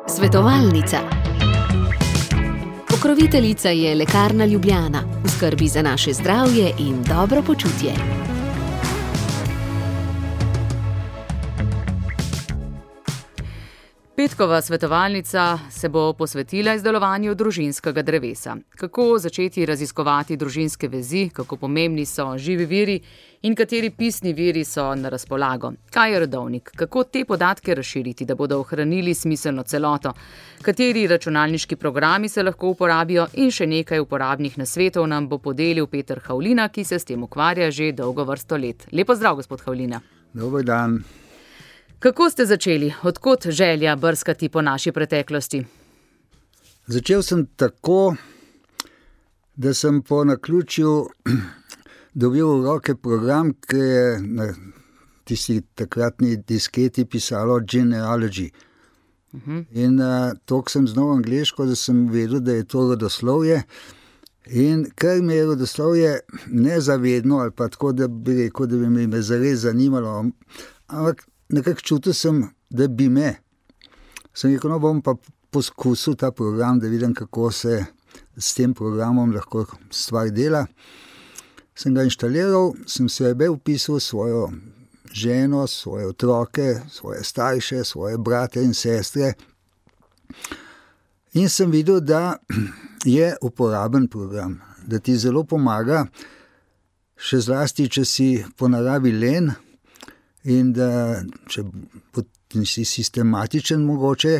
Svetovalnica. Pokroviteljica je Lekarna Ljubljana, v skrbi za naše zdravje in dobro počutje. Petkova svetovalnica se bo posvetila izdelovanju družinskega drevesa. Kako začeti raziskovati družinske vezi, kako pomembni so živi viri in kateri pisni viri so na razpolago. Kaj je rodovnik, kako te podatke razširiti, da bodo ohranili smiselno celoto, kateri računalniški programi se lahko uporabijo in še nekaj uporabnih nasvetov nam bo podelil Peter Havlina, ki se s tem ukvarja že dolgo vrsto let. Lepo zdrav, gospod Havlina. Dober dan. Kako ste začeli? Odkot želja brskati po naši preteklosti? Začel sem tako, da sem po naključju dobil v roke program, ki je na tisti takratni disketi pisalo Genealogy. In toliko sem znal angleško, da sem vedel, da je to rodoslovje. In ker me je rodoslovje nezavedno, ali pa tako, da bi rekel, da bi me zares zanimalo, ampak nekako čutil sem, da bi me. Sem rekel, no bom pa poskusil ta program, da vidim, kako se s tem programom lahko stvar dela. Sem ga inštaliral, sem sebe vpisal, svojo ženo, svoje otroke, svoje starše, svoje brate in sestre. In sem videl, da je uporaben program, da ti zelo pomaga, še zlasti, če si po naravi len, in da če si sistematičen mogoče,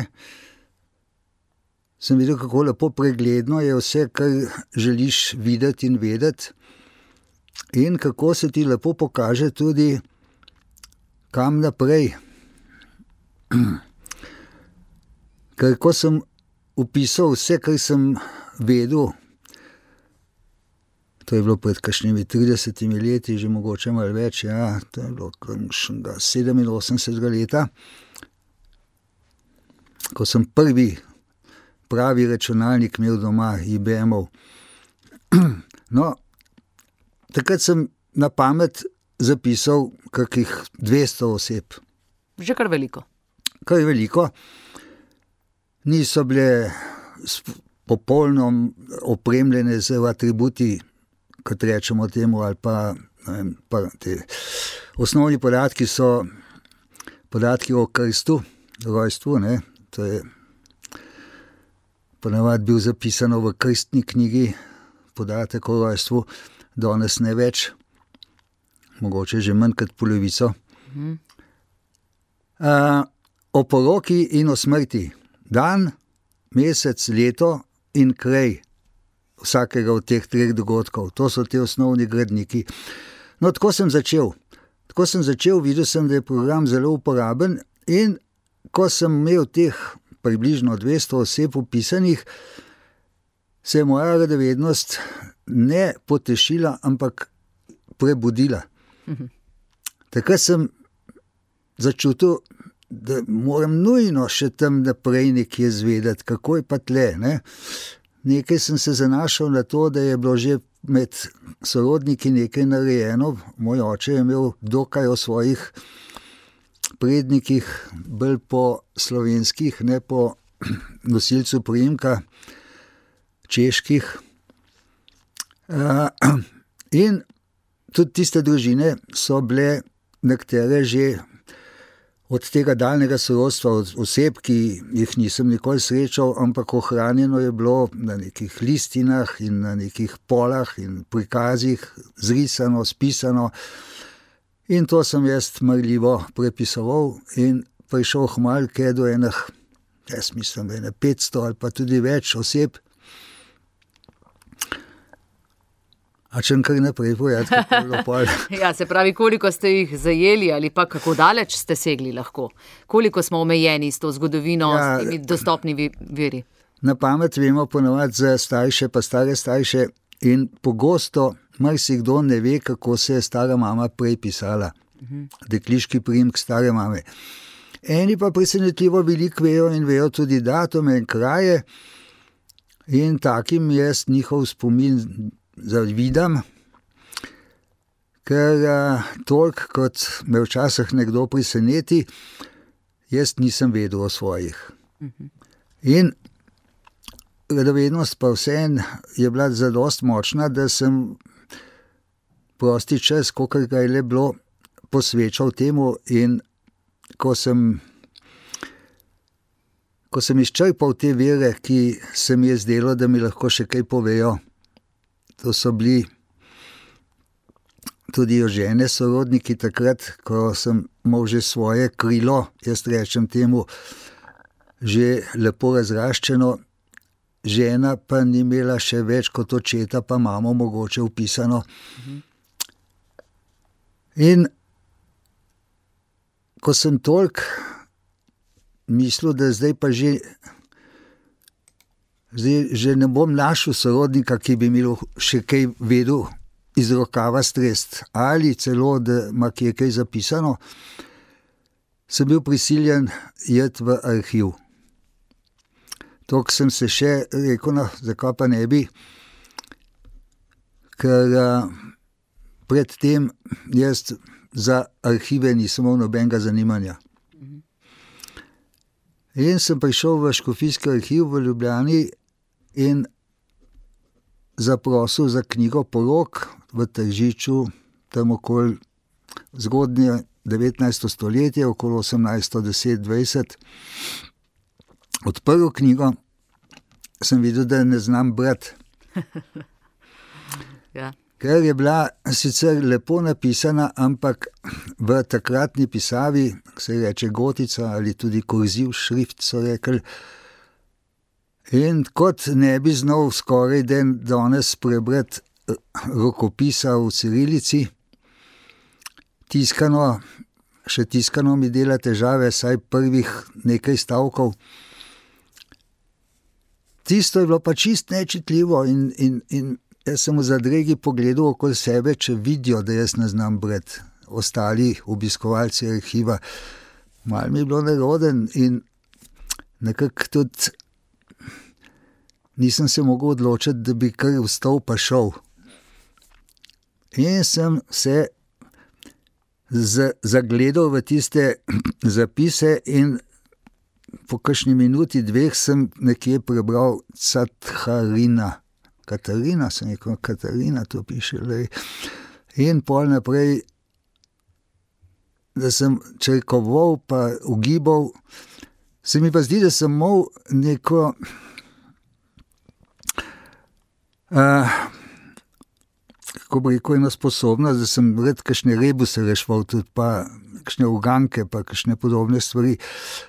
sem videl, kako lepo pregledno je vse, kar želiš videti in vedeti, in kako se ti lepo pokaže tudi, kam naprej. Ker ko sem vpisal vse, kar sem vedel, to je bilo pred kakšnimi 30 leti, že mogoče malo več, ja, to je bilo 87 leta, ko sem prvi pravi računalnik imel doma, IBM-ov. No, takrat sem na pamet zapisal kakih 200 oseb. Že kar veliko. Kar veliko. Niso bile popolno opremljene z atributi, kot rečemo temu, ali pa, ne vem, pa te osnovni podatki so podatki o krstu, rojstvu, ne, to je ponavadi bil zapisano v krstni knjigi, podatek o rojstvu, danes ne več, mogoče že manj kot polovico. O poroki in o smrti, dan, mesec, leto in kraj vsakega od teh 3 dogodkov. To so te osnovni gradniki. No, tako sem začel. Videl sem, da je program zelo uporaben, in ko sem imel teh približno 200 oseb vpisanih, se je moja radovednost ne potešila, ampak prebudila. Takrat sem začutil, da moram nujno še tam naprej nekje zvedeti, kako je pa tle, ne? Nekaj sem se zanašal na to, da je bilo že med sorodniki nekaj narejeno. Moj oče je imel dokaj o svojih prednikih, bolj po slovenskih, ne po nosilcu priimka, čeških. In tudi tiste družine so bile nekatere že od tega daljnega sorodstva, od oseb, ki jih nisem nikoli srečal, ampak ohranjeno je bilo na nekih listinah in na nekih polah in prikazih, zrisano, spisano. In to sem jaz marljivo prepisoval in prišel hmalke do enih, jaz mislim, da 500 ali pa tudi več oseb. A če kar naprej povedati, kako je bilo pol? Ja, se pravi, koliko ste jih zajeli ali pa kako daleč ste segli lahko? Koliko smo omejeni s to zgodovino, s temi dostopnimi viri? Na pamet vemo ponavadi za starše pa stare starše in pogosto marsikdo ne ve, kako se je stara mama prej pisala. Dekliški priimek stare mame. Eni pa presenetljivo veliko vejo in vejo tudi datume in kraje, in takim jaz njihov spomin zavidam, ker toliko, kot me včasih nekdo preseneti, jaz nisem vedel o svojih. In radovednost pa vseeno je bila zadost močna, da sem prosti čas, kolikor ga je le bilo, posvečal temu, in ko sem izčrpal te vire, ki se mi je zdelo, da mi lahko še kaj povejo, to so bili tudi Jožene sorodniki takrat, ko sem imel že svoje krilo, jaz rečem temu, že lepo razraščeno, žena pa ni imela še več kot očeta, pa mamo mogoče vpisano. In ko sem toliko mislil, da zdaj pa že ne bom našel sorodnika, ki bi mi še kaj vedel iz rokava strest, ali celo, da ima kje kaj zapisano, sem bil prisiljen iti v arhiv. Tok sem se še rekel, no, zakaj pa ne bi, ker predtem jaz za arhive nisem imel nobenega zanimanja. In sem prišel v škofijski arhiv v Ljubljani in zaprosil za knjigo Porok v Tržiču, tam okoli zgodnje 19. stoletje, okoli 1810-20. Odprl knjigo, sem videl, da ne znam brati. Ja. Ker je bila sicer lepo napisana, ampak v takratni pisavi, se reče gotica ali tudi kurziv šrift, so rekli. In kot ne bi znal skoraj danes prebrati rokopisa v cirilici, še tiskano mi dela težave, saj prvih nekaj stavkov. Tisto je bilo pa čist nečitljivo in jaz sem v zadregi pogledal okoli sebe, če vidijo, da jaz ne znam brati. Ostali obiskovalci arhiva. Malo mi je bilo neroden in nekako tudi nisem se mogel odločiti, da bi kar vstal pa šel. In sem se zagledal v tiste zapise in po kakšni minuti, dveh sem nekje prebral Catharina. Katarina, sem rekel, Katarina, to piše. Lej. In pol naprej, da sem črkoval pa ugibal, se mi pa zdi, da sem imel neko kako bi rekel, eno sposobnost, da sem red kakšne rebuse rešval, tudi pa kakšne uganke, pa kakšne podobne stvari.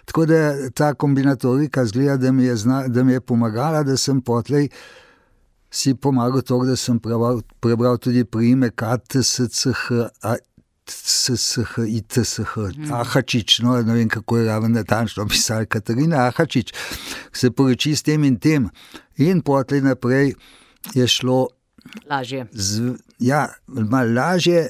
Tako da ta kombinatorika zgleda, da mi je pomagala, da sem potlej si pomagal to, da sem prebral tudi priimek Ahačič, no, ne vem, kako je raven natančno pisal, Katarina Ahačič, se poroči s tem in tem. In potlej naprej je šlo lažje. Malo lažje,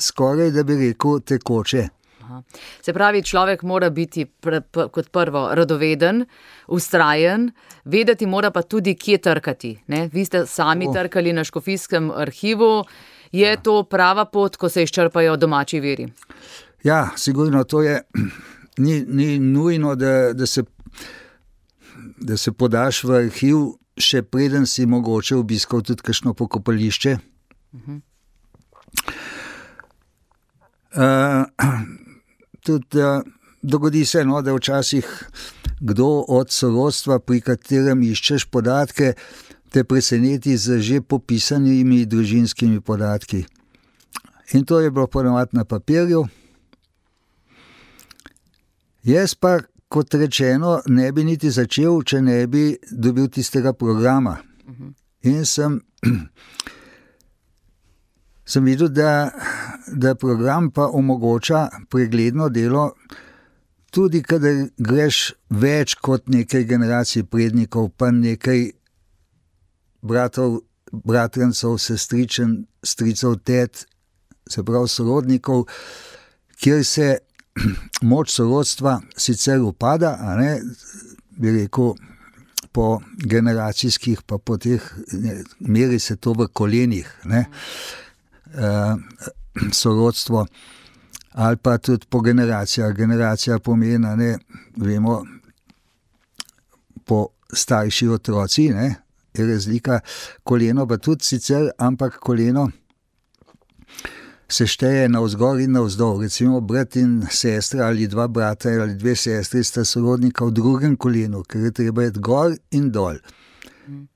skoraj, da bi rekel, tekoče. Aha. Se pravi, človek mora biti kot prvo radoveden, vztrajen, vedeti mora pa tudi, kje trkati. Ne? Vi ste sami trkali na škofijskem arhivu. Je to prava pot, ko se izčrpajo domači viri? Ja, sigurno, to je ni nujno, da se podaš v arhiv, še preden si mogoče obiskal tudi kakšno pokopališče. Tudi dogodi se, no, da včasih kdo od sorodstva, pri katerem iščeš podatke, te preseneti z že popisanimi družinskimi podatki. In to je bilo ponavadi na papirju. Jaz pa, kot rečeno, ne bi niti začel, če ne bi dobil tistega programa. In sem videl, da program pa omogoča pregledno delo, tudi kadar greš več kot nekaj generacij prednikov, pa nekaj bratrancev, sestričen, stricev, tet, se pravi sorodnikov, kjer se moč sorodstva sicer upada, a ne, bi rekel, po generacijskih, pa po teh, meri se to v kolenih, ne, sorodstvo, ali pa tudi po generacijah. Generacija pomeni, ne, vemo, po starši otroci, ne, je razlika, koleno pa tudi sicer, ampak koleno se šteje navzgor in navzdol. Recimo brat in sestra ali dva brata ali dve sestri sta sorodnika v drugem kolenu, ker je treba iti gor in dol.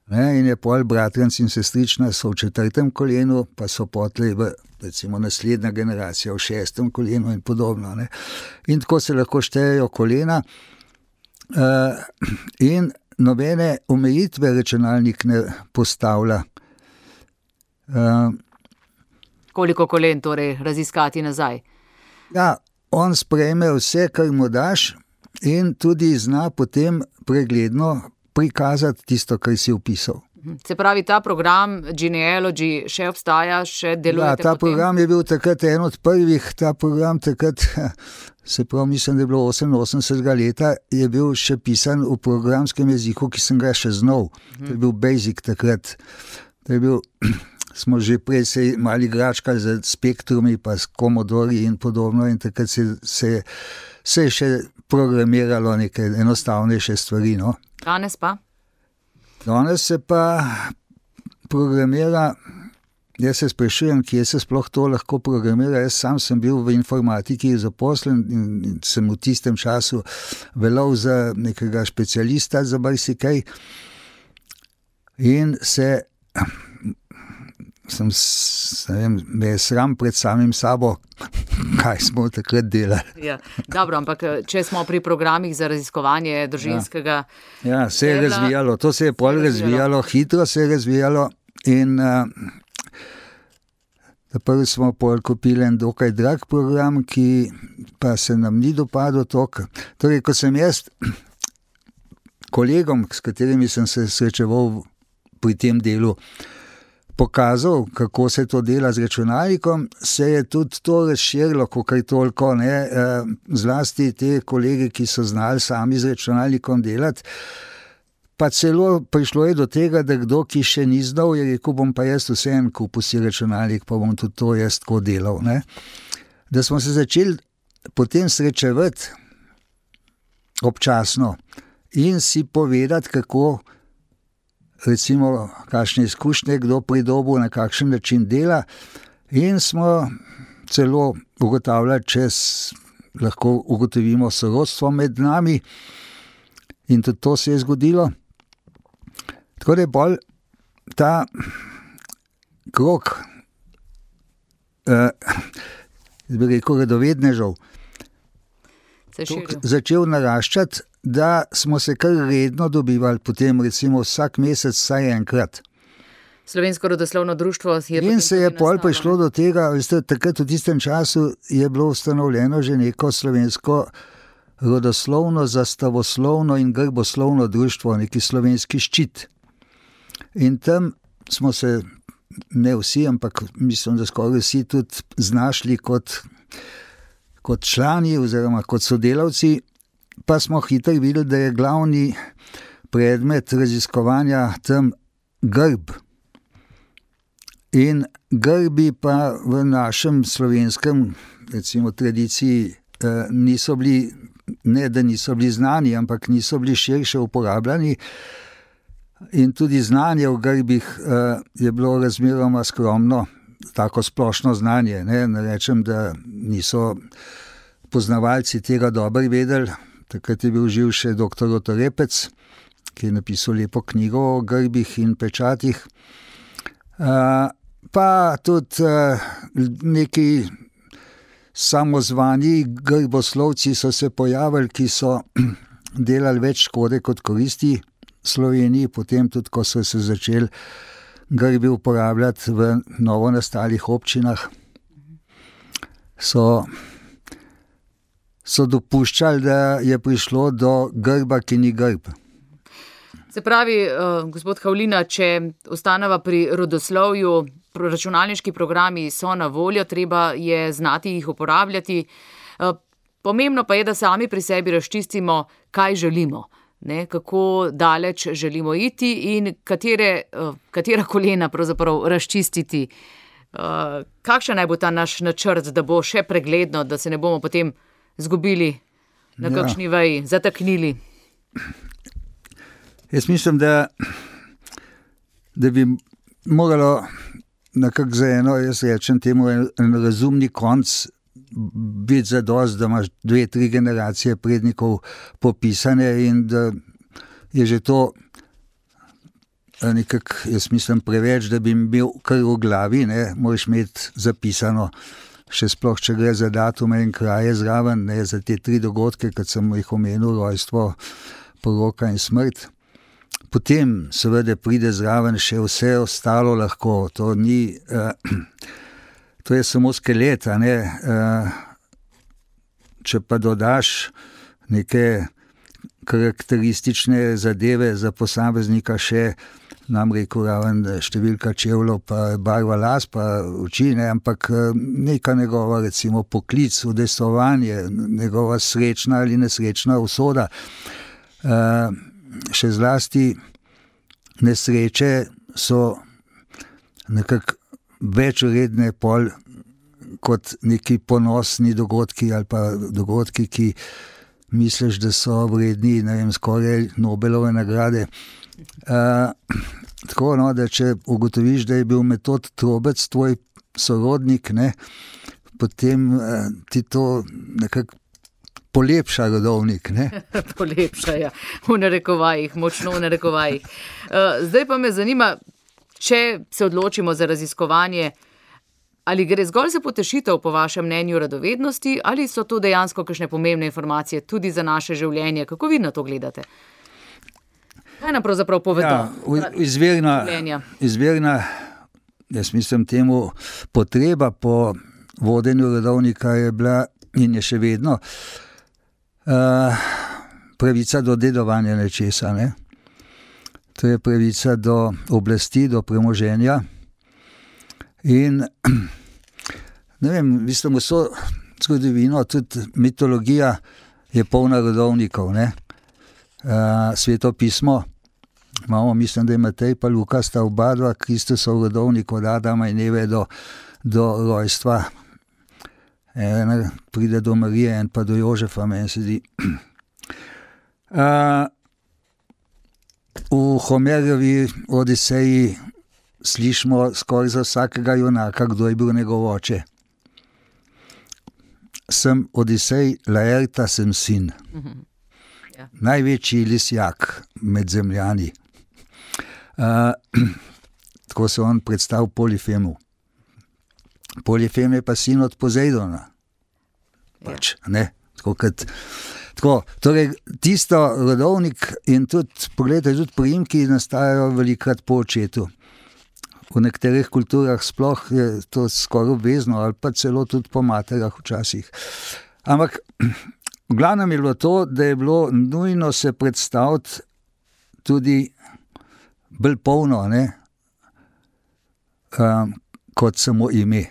Ne, in je pol bratranc in sestrična so v 4. kolenu, pa so potli v recimo naslednja generacija v 6. kolenu in podobno. Ne. In tako se lahko štejejo kolena in nobene omejitve računalnik ne postavlja. Koliko kolen torej raziskati nazaj? Ja, on sprejme vse, kar mu daš in tudi zna potem pregledno prikazati tisto, kar si vpisal. Se pravi, ta program Genealogy še obstaja, še delujete potem? Ja, ta program je bil takrat en od prvih, ta program takrat, se pravi, mislim, da je bilo 88. leta, je bil še pisan v programskem jeziku, ki sem ga še znal. To je bil Basic takrat. To je bil, smo že prej se mali igračkali z Spektrumi, pa s Commodori in podobno in takrat se je še programiralo neke enostavnejše stvari, no. Danes pa? Danes se pa programira, jaz se sprašujem, kje se sploh to lahko programira. Jaz sam sem bil v informatiki zaposlen in sem v tistem času velal za nekega specialista za marsikaj in me je sram pred samim sabo, kaj smo takrat delali. Ja, dobro, ampak če smo pri programih za raziskovanje družinskega... Ja, se je razvijalo, to se je pol razvijalo, hitro se je razvijalo in prvi smo pol kupili en dokaj drag program, ki pa se nam ni dopadel toliko. Torej, ko sem jaz kolegom, s katerimi sem se srečeval pri tem delu, pokazal, kako se to dela z računalnikom, se je tudi to razširilo, kakor toliko, ne, zlasti te kolege, ki so znali sami z računalnikom delati, pa celo prišlo je do tega, da kdo, ki še ni znal, je rekel, bom pa jaz vseeno kupil si računalnik, pa bom tudi to jaz tako delal, ne. Da smo se začeli potem srečevati občasno in si povedati, kako recimo, kakšne izkušnje kdo pridobil, na kakšen način dela in smo celo ugotavljali, če lahko ugotovimo sorodstvo med nami in tudi to se je zgodilo. Tako da je bolj ta krog bi rekel, radovednežev začel naraščati, da smo se kar redno dobivali, potem recimo vsak mesec vsaj enkrat. Slovensko rodoslovno društvo je... In se je pol prišlo do tega, veste, takrat v tistem času je bilo ustanovljeno že neko slovensko rodoslovno, zastavoslovno in grboslovno društvo, neki slovenski ščit. In tam smo se, ne vsi, ampak mislim, da skoraj vsi tudi znašli kot člani oziroma kot sodelavci, pa smo hitro videli, da je glavni predmet raziskovanja tam grb. In grbi pa v našem slovenskem, recimo, tradiciji niso bili, ne da niso bili znani, ampak niso bili širše uporabljani. In tudi znanje o grbih je bilo razmeroma skromno, tako splošno znanje. Ne rečem, da niso poznavalci tega dobro vedeli. Takrat je bil živ še doktor Oto Repec, ki je napisal lepo knjigo o grbih in pečatih. Pa tudi neki samozvani grboslovci so se pojavili, ki so delali več škode kot koristi Sloveniji, potem tudi, ko so se začeli grbi uporabljati v novo nastalih občinah, so dopuščali, da je prišlo do grba, ki ni grb. Se pravi, gospod Havlina, če ostaneva pri rodoslovju, računalniški programi so na voljo, treba je znati jih uporabljati. Pomembno pa je, da sami pri sebi razčistimo, kaj želimo, ne, kako daleč želimo iti in katera kolena pravzaprav razčistiti Kakšen naj bo ta naš načrt, da bo še pregledno, da se ne bomo potem zgubili na kakšni veji, zataknili? Jaz mislim, da bi moralo nekako za eno, jaz rečem temu, en razumni konc biti zadost, da imaš 2-3 generacije prednikov popisane in da je že to nekako, jaz mislim, preveč, da bi imel kar v glavi, ne, moraš imeti zapisano, še sploh, če gre za datume in kraje zraven, ne, za te 3 dogodke, kot sem jih omenil, rojstvo, poroka in smrt. Potem seveda pride zraven še vse ostalo lahko, to ni, to je samo skelet, a ne, če pa dodaš neke karakteristične zadeve za posameznika še, nam rekel raven številka čevljev, pa barva las, pa oči, ne, ampak neka njegova recimo poklic, udejstvovanje, njegova srečna ali nesrečna usoda, še zlasti nesreče so nekako več vredne pol kot neki ponosni dogodki ali pa dogodki, ki misliš, da so vredni, ne vem, skoraj Nobelove nagrade. Tako, no, da če ugotoviš, da je bil Metod Trobec tvoj sorodnik, ne, potem ti to nekako polepša rodovnik, ne? Polepša, ja. V narekovajih, močno v narekovajih. Zdaj pa me zanima, če se odločimo za raziskovanje, ali gre zgolj za potešitev po vašem mnenju radovednosti, ali so to dejansko kakšne pomembne informacije tudi za naše življenje? Kako vi na to gledate? Kaj nam pravzaprav povedo? Ja, izvirna, jaz mislim temu, potreba po vodenju rodovnika je bila in je še vedno pravica do dedovanja nečesa, ne? To je pravica do oblasti, do premoženja in ne vem, mislim, vso zgodovino, tudi mitologija je polna rodovnikov, ne? Sveto pismo, imamo, mislim, da je Matej pa Luka, sta oba dva Kristusov rodovnik od Adama in Eve do rojstva. En pride do Marije, en pa do Jožefa, meni se zdi. V Homerjevi Odiseji slišimo skoraj za vsakega junaka, kdo je bil njegov oče. Sem Odisej, Laerta sem sin. Ja. Največji lisjak med zemljani. Tako se on predstavil Polifemu. Polifem je pa sin od Pozejdona. Pač, ne? Torej, tisto rodovnik in tudi, pogledajte, tudi priimki nastajajo velikrat po očetu. V nekaterih kulturah sploh je to skoraj obvezno, ali pa celo tudi po materah včasih. Ampak v glavnem je bilo to, da je bilo nujno se predstaviti tudi bolj polno, ne, kot samo ime.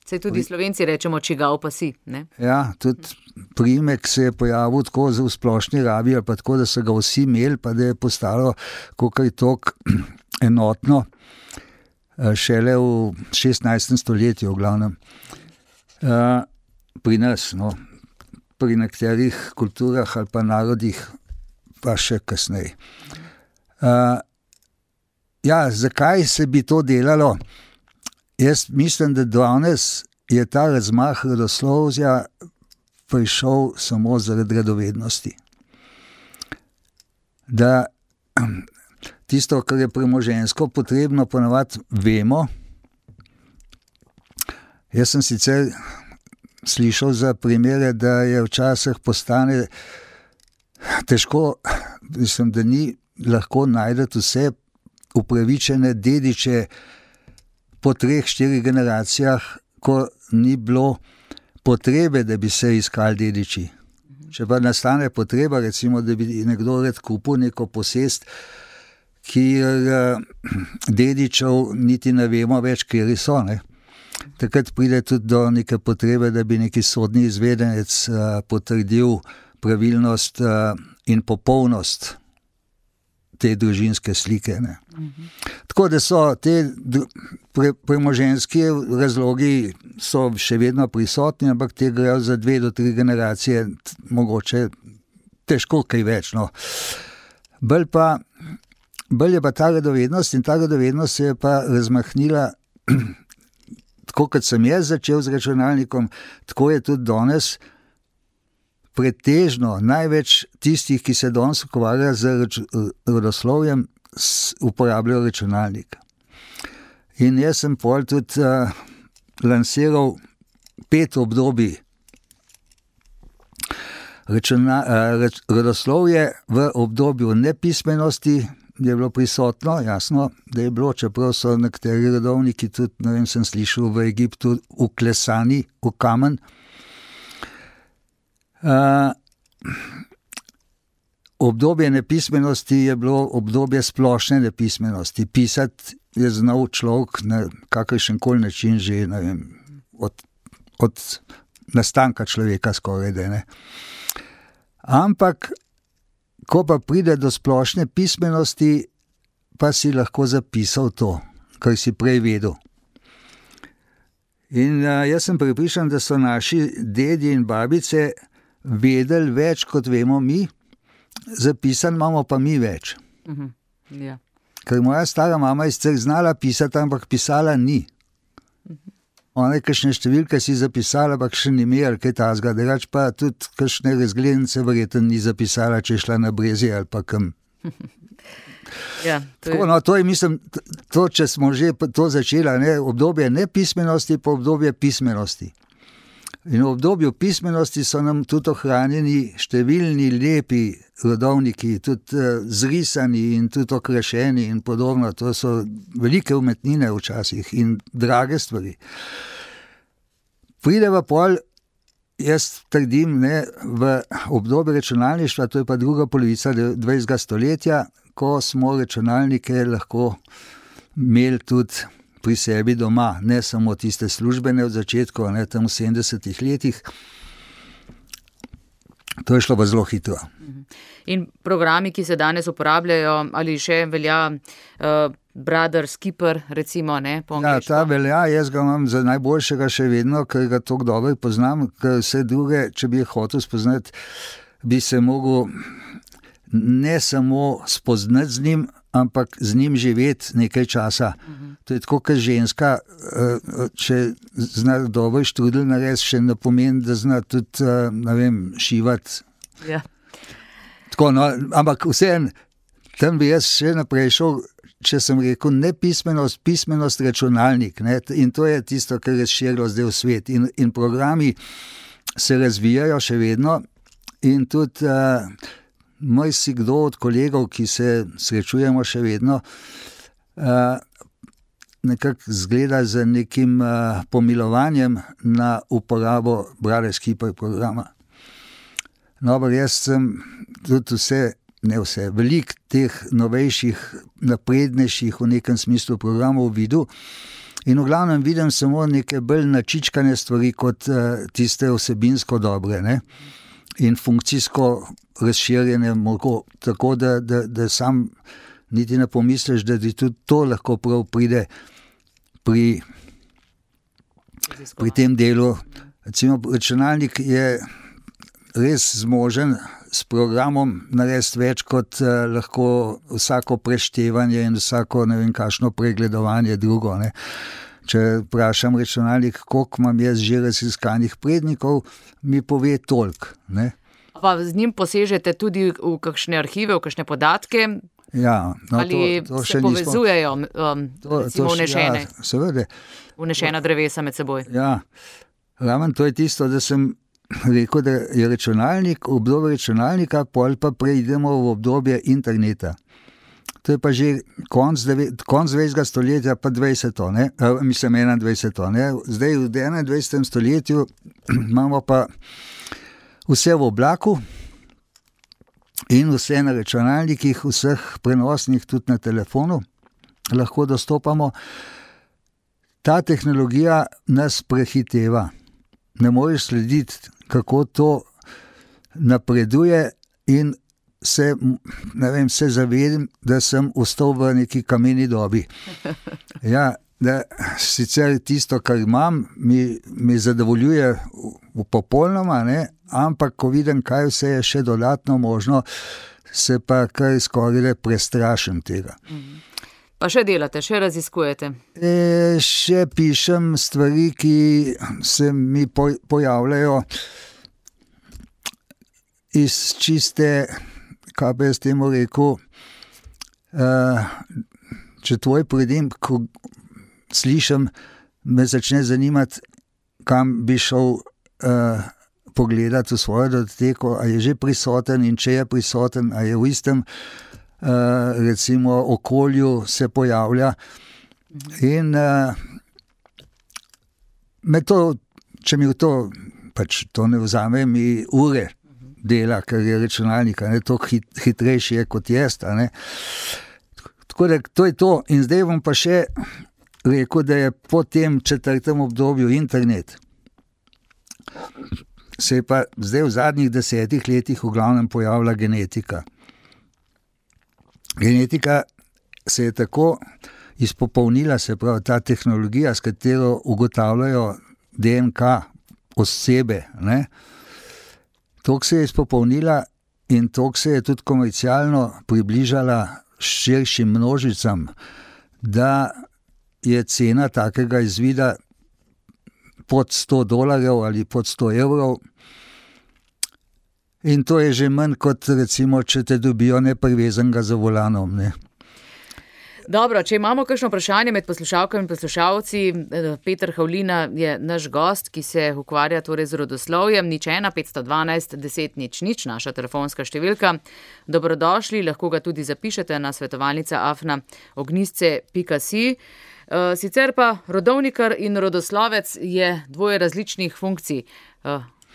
Saj tudi Slovenci rečemo, čigav pa si, ne? Ja, tudi priimek se je pojavil tako v splošni rabi, ali pa tako, da so ga vsi imeli, pa da je postalo kakor tok enotno, šele v 16. stoletju v glavnem. Pri nas, no, pri nekaterih kulturah ali pa narodih pa še kasneje. Ja, zakaj se bi to delalo? Jaz mislim, da danes je ta razmah rodoslovja prišel samo zaradi radovednosti. Da tisto, kar je premoženjsko potrebno, ponavadi vemo. Jaz sem sicer slišal za primere, da je včasih postane težko, mislim, da ni lahko najdeti vse upravičene dediče po 3-4 generacijah, ko ni bilo potrebe, da bi se iskali dediči. Če pa nastane potreba, recimo, da bi nekdo rad kupil neko posest, kjer dedičev niti ne vemo več, kjeri so, ne. Takrat pride tudi do neke potrebe, da bi neki sodni izvedenec potrdil pravilnost in popolnost te družinske slike, ne. Tako da so te premoženjski razlogi so še vedno prisotni, ampak te grejo za 2 do 3 generacije, mogoče težko kaj več. No. Bolj je pa ta radovednost in ta radovednost se je pa razmahnila, tako kot sem jaz začel z računalnikom, tako je tudi danes pretežno največ tistih, ki se danes ukvarjajo z rodoslovjem, uporabljajo računalnik. In jaz sem pol tudi lansiral 5 obdobij rodoslovje. V obdobju nepismenosti je bilo prisotno, jasno, da je bilo, čeprav so nekateri rodovniki tudi, ne vem, sem slišal, v Egiptu uklesani v kamen. Obdobje nepismenosti je bilo obdobje splošne nepismenosti. Pisati je znal človek na kakršenkoli način že, ne vem, od nastanka človeka skoraj, da ne. Ampak, ko pa pride do splošne pismenosti, pa si lahko zapisal to, kar si prej vedel. In jaz sem prepričan, da so naši dedi in babice vedeli več, kot vemo mi, zapisan imamo pa mi več. Ja. Ker moja stara mama je sicer znala pisati, ampak pisala ni. Ona je kakšne številke si zapisala, ampak še ni imela kaj tazga, drugače pa tudi kakšne razglednice verjetno ni zapisala, če je šla na Brezje ali pa kam. Ja, Tako, no, to je, mislim, to, če smo že to začela, ne, obdobje nepismenosti pa obdobje pismenosti. In v obdobju pismenosti so nam tudi ohranjeni številni lepi rodovniki, tudi zrisani in tudi okrašeni in podobno. To so velike umetnine včasih in drage stvari. Pride pa pol, jaz trdim, ne, v obdobje računalništva, to je pa druga polovica 20. stoletja, ko smo računalnike lahko imeli tudi pri sebi doma, ne samo tiste službene od začetka, ne, tam v 70. letih. To je šlo pa zelo hitro. In programi, ki se danes uporabljajo, ali še velja Brother Skipper, recimo, ne, po angleško? Ja, ta velja, jaz ga imam za najboljšega še vedno, ker ga toliko dobro poznam, ker vse druge, če bi hotel spoznati, bi se mogel ne samo spoznati z njim, ampak z njim živeti nekaj časa. To je tako, kot ženska, če zna dobro štrudel narediti, še ne pomeni, da zna tudi, ne vem, šivati. Ja. Tako, no, ampak vseeno, tam bi jaz še naprej šel, če sem rekel nepismenost, pismenost računalnik, ne, in to je tisto, kar je širilo zdaj v svet. In programi se razvijajo še vedno in tudi si kdo od kolegov, ki se srečujemo še vedno, nekako zgleda z nekim pomilovanjem na uporabo Brother Skipper programa. No, ampak jaz sem tudi veliko teh novejših, naprednejših v nekem smislu programov videl in v glavnem vidim samo neke bolj načičkane stvari kot tiste vsebinsko dobre, ne? In funkcijsko razširjene, tako da sam niti ne pomisliš, da ti tudi to lahko prav pride pri tem delu. Recimo, računalnik je res zmožen s programom narediti več kot lahko vsako preštevanje in vsako ne vem kakšno pregledovanje drugo, ne. Če vprašam računalnik, koliko imam jaz že raziskanih prednikov, mi pove toliko, ne. Pa z njim posežete tudi v kakšne arhive, v kakšne podatke? Ja, no, ali to se povezujejo, recimo vnešene? Ja, seveda. Vnešena drevesa med seboj. Ja, ramen to je tisto, da sem rekel, da je računalnik, obdobje računalnika, pol pa preidemo v obdobje interneta. To je pa že konc 20. stoletja, pa 20. ne, mislim 21. ne. Zdaj v 21. stoletju imamo pa vse v oblaku in vse na računalnikih, vseh prenosnih, tudi na telefonu lahko dostopamo. Ta tehnologija nas prehiteva. Ne moreš slediti, kako to napreduje in se zavedam, da sem ostal v neki kameni dobi. Ja, da sicer tisto, kar imam, mi zadovoljuje popolnoma, ne, ampak ko vidim, kaj vse je še dodatno možno, se pa kar skoraj prestrašim tega. Pa še delate, še raziskujete? Še pišem stvari, ki se mi pojavljajo iz čiste, kaj bi jaz temu rekel, če tvoj pridim, ko slišim, me začne zanimati, kam bi šel pogledati v svojo datoteko, a je že prisoten in če je prisoten, a je v istem recimo okolju se pojavlja. In me to, če mi to pač to ne vzame, mi ure dela, ker je računalnik, ne, to hitrejši je kot jaz, ne. Tako da to je to. In zdaj bom pa še rekel, da je po tem 4. obdobju internet se je pa zdaj v zadnjih 10 letih v glavnem pojavila genetika. Genetika se je tako izpopolnila, se pravi ta tehnologija, s katero ugotavljajo DNK osebe, ne. Toliko se je izpopolnila in toliko se je tudi komercialno približala širšim množicam, da je cena takega izvida pod $100 ali pod 100 evrov. In to je že manj kot recimo, če te dobijo neprivezanega za volanom, ne. Dobro, če imamo kakšno vprašanje med poslušalkami in poslušalci, Peter Havlina je naš gost, ki se ukvarja torej z rodoslovjem. 01 512 10 00, naša telefonska številka. Dobrodošli, lahko ga tudi zapišete na svetovalnica@ognjisce.si. Sicer pa rodovnikar in rodoslovec je dvoje različnih funkcij.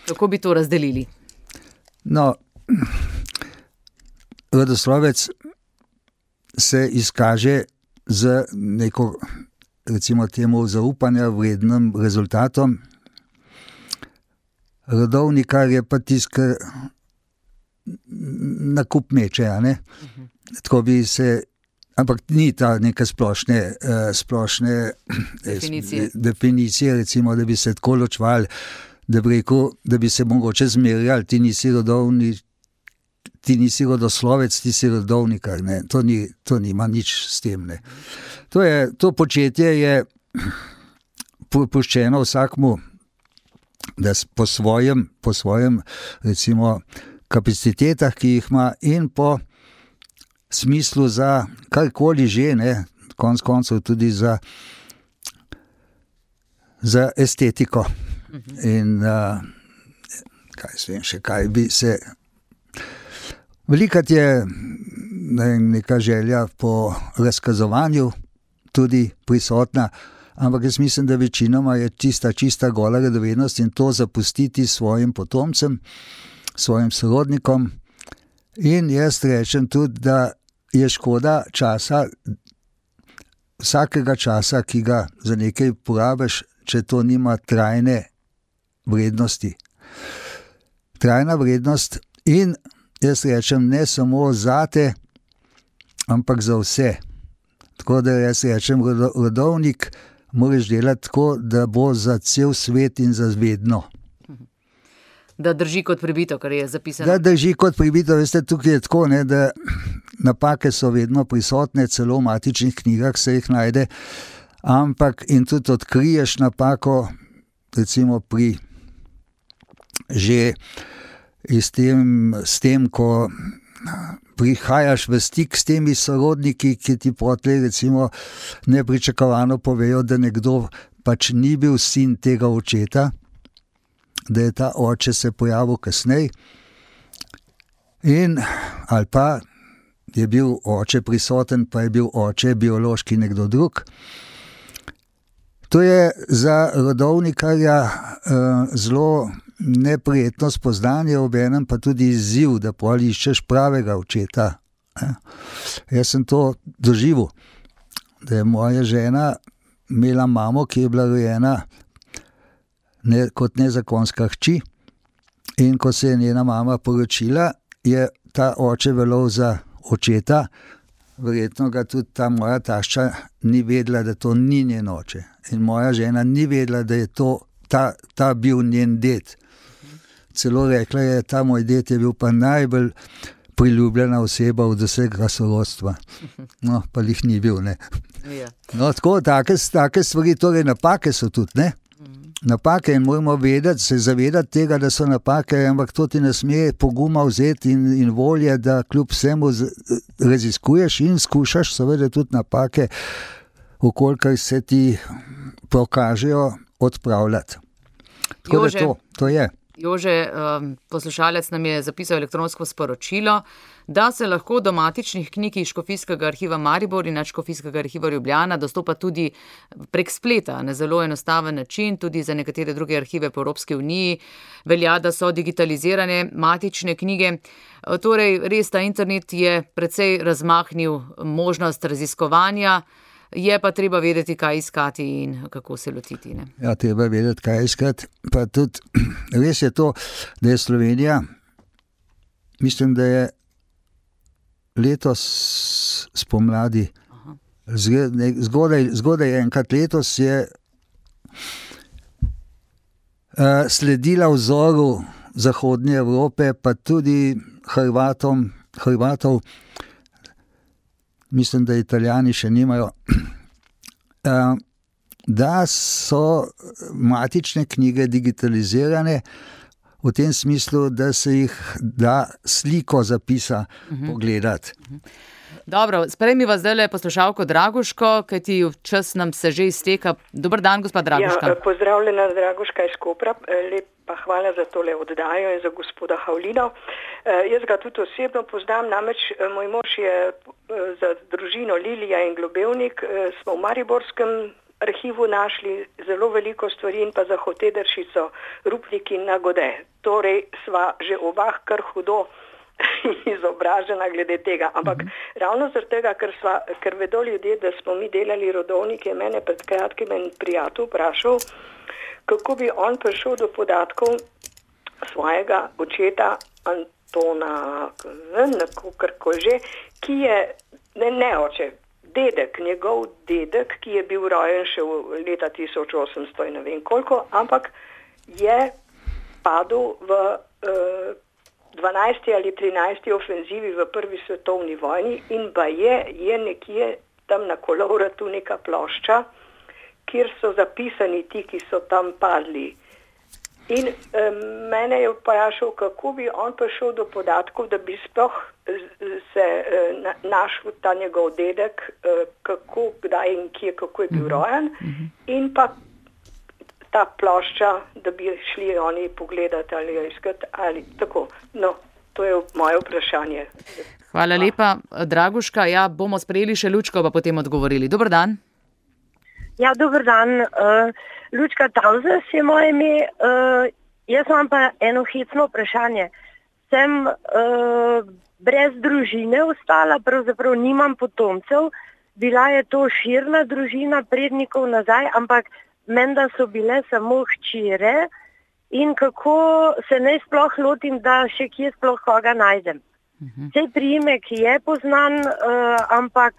Kako bi to razdelili? No, rodoslovec se izkaže z neko, recimo temu, zaupanja vrednim rezultatom. Rodovnikar je pa tisti, nakup meče, a ne? Tako bi se, ampak ni ta neka splošne definicije, recimo, da bi se tako ločvali, da bi rekel, da bi se mogoče zmerjali, ti nisi rodoslovec, ti si rodovnikar, ne. To nima nič s tem, ne. To početje je puščeno vsakmu, da po svojem recimo kapacitetah, ki jih ima, in po smislu za karkoli že, ne, konec koncev tudi za estetiko. In kaj bi se velikrat je neka želja po razkazovanju tudi prisotna, ampak jaz mislim, da večinoma je čista gola radovednost in to zapustiti svojim potomcem, svojim sorodnikom. In jaz rečem tudi, da je škoda časa, vsakega časa, ki ga za nekaj porabiš, če to nima trajne vrednosti. Trajna vrednost in jaz rečem ne samo zate, ampak za vse. Tako da jaz rečem, rodovnik moraš delati tako, da bo za cel svet in za vedno. Da drži kot pribito, kar je zapisano. Da drži kot pribito, veste, tukaj je tako, ne, da napake so vedno prisotne, celo v matičnih knjigah se jih najde, ampak in tudi odkriješ napako, recimo že s tem, ko prihajaš v stik s temi sorodniki, ki ti potlej recimo nepričakovano povejo, da nekdo pač ni bil sin tega očeta, da je ta oče se pojavil kasneje, ali pa je bil oče prisoten, pa je bil oče biološki nekdo drug. To je za rodovnikarja zelo neprijetno spoznanje, obenem pa tudi izziv, da pol iščeš pravega očeta. Jaz sem to doživel, da je moja žena imela mamo, ki je bila rojena kot nezakonska hči, in ko se je njena mama poročila, je ta oče veljal za očeta, verjetno ga tudi ta moja tašča ni vedela, da to ni njen oče. In moja žena ni vedela, da je to ta bil njen ded. Celo rekla je, ta moj ded je bil pa najbolj priljubljena oseba od vsega sorodstva. No, pa jih ni bil, ne. No, tako, take stvari, torej napake so tudi, ne. Napake in moramo se zavedati tega, da so napake, ampak to ti ne sme poguma vzeti in volje, da kljub vsemu raziskuješ in skušaš seveda tudi napake, okolikor se ti pokažejo, odpravljati. Tako Jože, da to je. Jože, poslušalec nam je zapisal elektronsko sporočilo, da se lahko do matičnih knjig iz Škofijskega arhiva Maribor in Škofijskega arhiva Ljubljana dostopa tudi prek spleta, na zelo enostaven način, tudi za nekatere druge arhive po Evropski uniji. Velja, da so digitalizirane matične knjige. Torej, res ta internet je precej razmahnil možnost raziskovanja, je pa treba vedeti, kaj iskati in kako se lotiti. Ne? Ja, treba vedeti, kaj iskati. Pa tudi res je to, da je Slovenija, mislim, da je letos spomladi, zgodaj enkrat letos je sledila vzoru Zahodne Evrope, pa tudi Hrvatov, mislim, da Italijani še nimajo, da so matične knjige digitalizirane v tem smislu, da se jih da sliko zapisa pogledati. Dobro, sprejmiva zdajle poslušalko Draguško, kajti čas nam se že izteka. Dober dan, gospa Draguška. Ja, pozdravljena Draguška iz Kopra. Lepa hvala za tole oddajo in za gospoda Havlina. Jaz ga tudi osebno poznam, namreč moj mož je za družino Lilija in Globevnik, smo v Mariborskem arhivu našli zelo veliko stvari in pa za Hotederšico, Rupnik in Nagode. Torej sva že oba kar hudo izobražena glede tega, ampak ravno zaradi tega, ker vedo ljudje, da smo mi delali rodovnike, mene pred kratkim en prijatelj vprašal, kako bi on prišel do podatkov svojega očeta Antona, že, ki je, ne oče, dedek, njegov dedek, ki je bil rojen še v leta 1800 in ne vem koliko, ampak je padel v 12. ali 13. ofenzivi v prvi svetovni vojni in je nekje tam na Kolovratu neka plošča, kjer so zapisani ti, ki so tam padli. In mene je vprašal, kako bi on prišel do podatkov, da bi sploh se našel ta njegov dedek, kako, kdaj in kje, kako je bil rojen, in pa ta plošča, da bi šli oni pogledati ali jo iskati ali tako. No, to je moje vprašanje. Hvala lepa, Draguška. Ja, bomo sprejeli še Lučko, pa potem odgovorili. Dober dan. Ja, dober dan. Lučka Tauzes je moje ime. Jaz imam pa eno hecno vprašanje. Sem brez družine ostala, pravzaprav nimam potomcev. Bila je to širna družina prednikov nazaj, ampak menda so bile samo hčere in kako se naj sploh lotim, da še kje sploh koga najdem. Sej priimek je poznan, ampak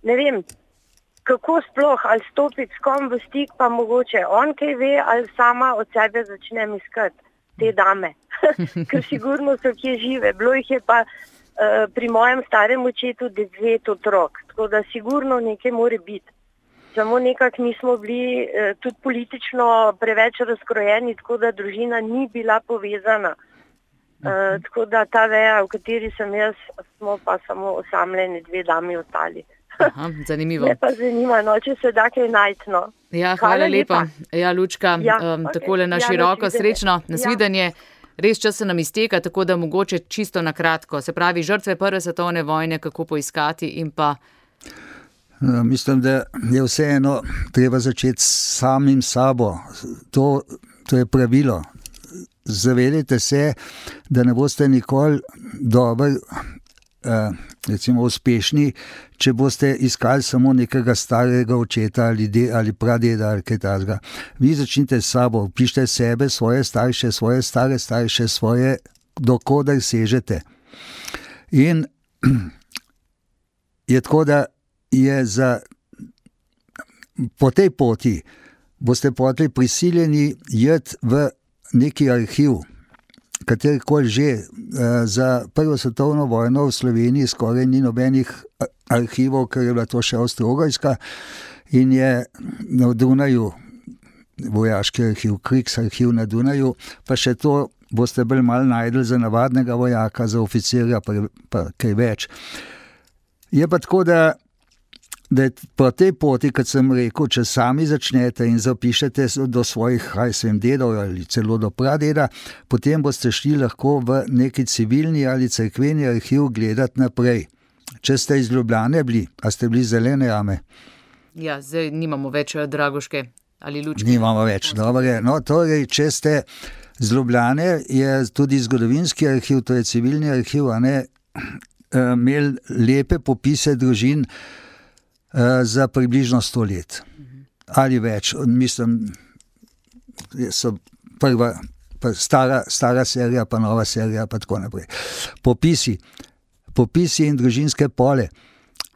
ne vem, kako sploh, ali stopiti s kom v stik, pa mogoče on kaj ve, ali sama od sebe začnem iskati te dame. Ker sigurno so kje žive. Bilo jih je pa pri mojem starem očetu 9 otrok, tako da sigurno nekaj more biti. Samo nekako nismo bili tudi politično preveč razkrojeni, tako da družina ni bila povezana. Tako da ta veja, v kateri sem jaz, smo pa samo osamljeni 2 dami ostali. Aha, zanimivo. Me pa zanima, no, če se da kaj najti, no. Ja, hvala lepa. Ja, Lučka, takole na široko, srečno, nasvidenje. Res čas se nam izteka, tako da mogoče čisto na kratko. Se pravi, žrtve prve svetovne vojne, kako poiskati in pa... Mislim, da je vseeno treba začeti s samim sabo. To je pravilo. Zavedajte se, da ne boste nikoli dobro, recimo uspešni, če boste iskali samo nekega starega očeta ali pradeda ali kaj takega. Vi začnite s sabo, pišite sebe, svoje starše, svoje stare starše, svoje, dokoder sežete. In je tako, da je po tej poti boste potem prisiljeni iti v neki arhiv, katerikoli že. Za Prvo svetovno vojno v Sloveniji skoraj ni nobenih arhivov, ker je bila to še Avstro-Ogrska in je na Dunaju vojaški arhiv, Kriegsarchiv na Dunaju, pa še to boste bolj malo najdli za navadnega vojaka, za oficirja pa kaj več. Je pa tako, da po tej poti, kot sem rekel, če sami začnete in zapišete do svojih, dedov ali celo do pradeda, potem boste šli lahko v neki civilni ali cerkveni arhiv gledati naprej. Če ste iz Ljubljane bili, a ste bili Zelene jame? Ja, zdaj nimamo več Dragoške ali Lučke. Nimamo več, dobro je. No, torej, če ste z Ljubljane, je tudi zgodovinski arhiv, to je civilni arhiv, imel lepe popise družin za približno 100 let. Ali več. Mislim, so prva, stara serija, pa nova serija, pa tako naprej. Popisi in družinske pole.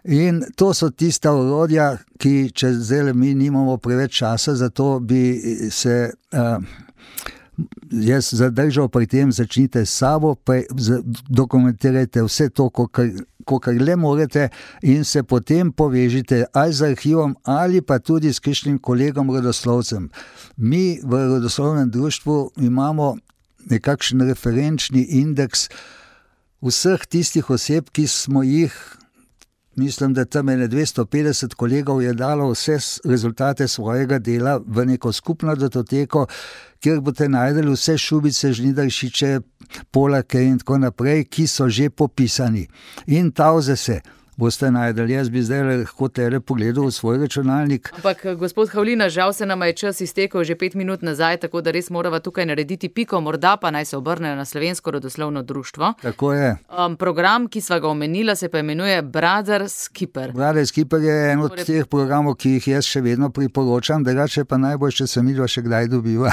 In to so tista orodja, ki, če zdaj mi nimamo preveč časa, zato bi se jaz zadržal pri tem, začnite s sabo, dokumentirajte vse to, kolikor le morete in se potem povežite ali z arhivom ali pa tudi s kakšnim kolegom rodoslovcem. Mi v rodoslovnem društvu imamo nekakšen referenčni indeks vseh tistih oseb, ki smo jih, mislim, da tam 250 kolegov je dalo vse rezultate svojega dela v neko skupno datoteko, kjer boste najdeli vse Šubice, Žnidaršiče, Polake in tako naprej, ki so že popisani. In Tauze se boste najdeli. Jaz bi zdaj lahko tele pogledal v svoj računalnik. Ampak, gospod Havlina, žal se nama je čas iztekel že 5 minut nazaj, tako da res morava tukaj narediti piko, morda pa naj se obrnejo na Slovensko rodoslovno društvo. Tako je. Program, ki sva ga omenila, se pa imenuje Brothers Keeper. Brothers Keeper je en od teh programov, ki jih jaz še vedno priporočam, drugače pa najbolj, če se midva še kdaj dobiva.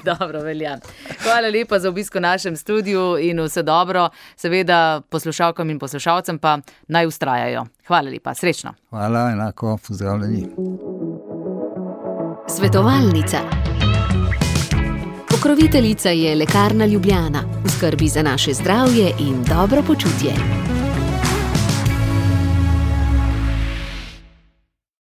Dobro, velja. Hvala lepa za obisk v našem studiu in vse dobro. Seveda poslušalkam in poslušalcem pa naj ustrajajo. Hvala lepa, srečno. Hvala, enako, pozdravljeni. Svetovalnica. Pokroviteljica je Lekarna Ljubljana. V skrbi za naše zdravje in dobro počutje.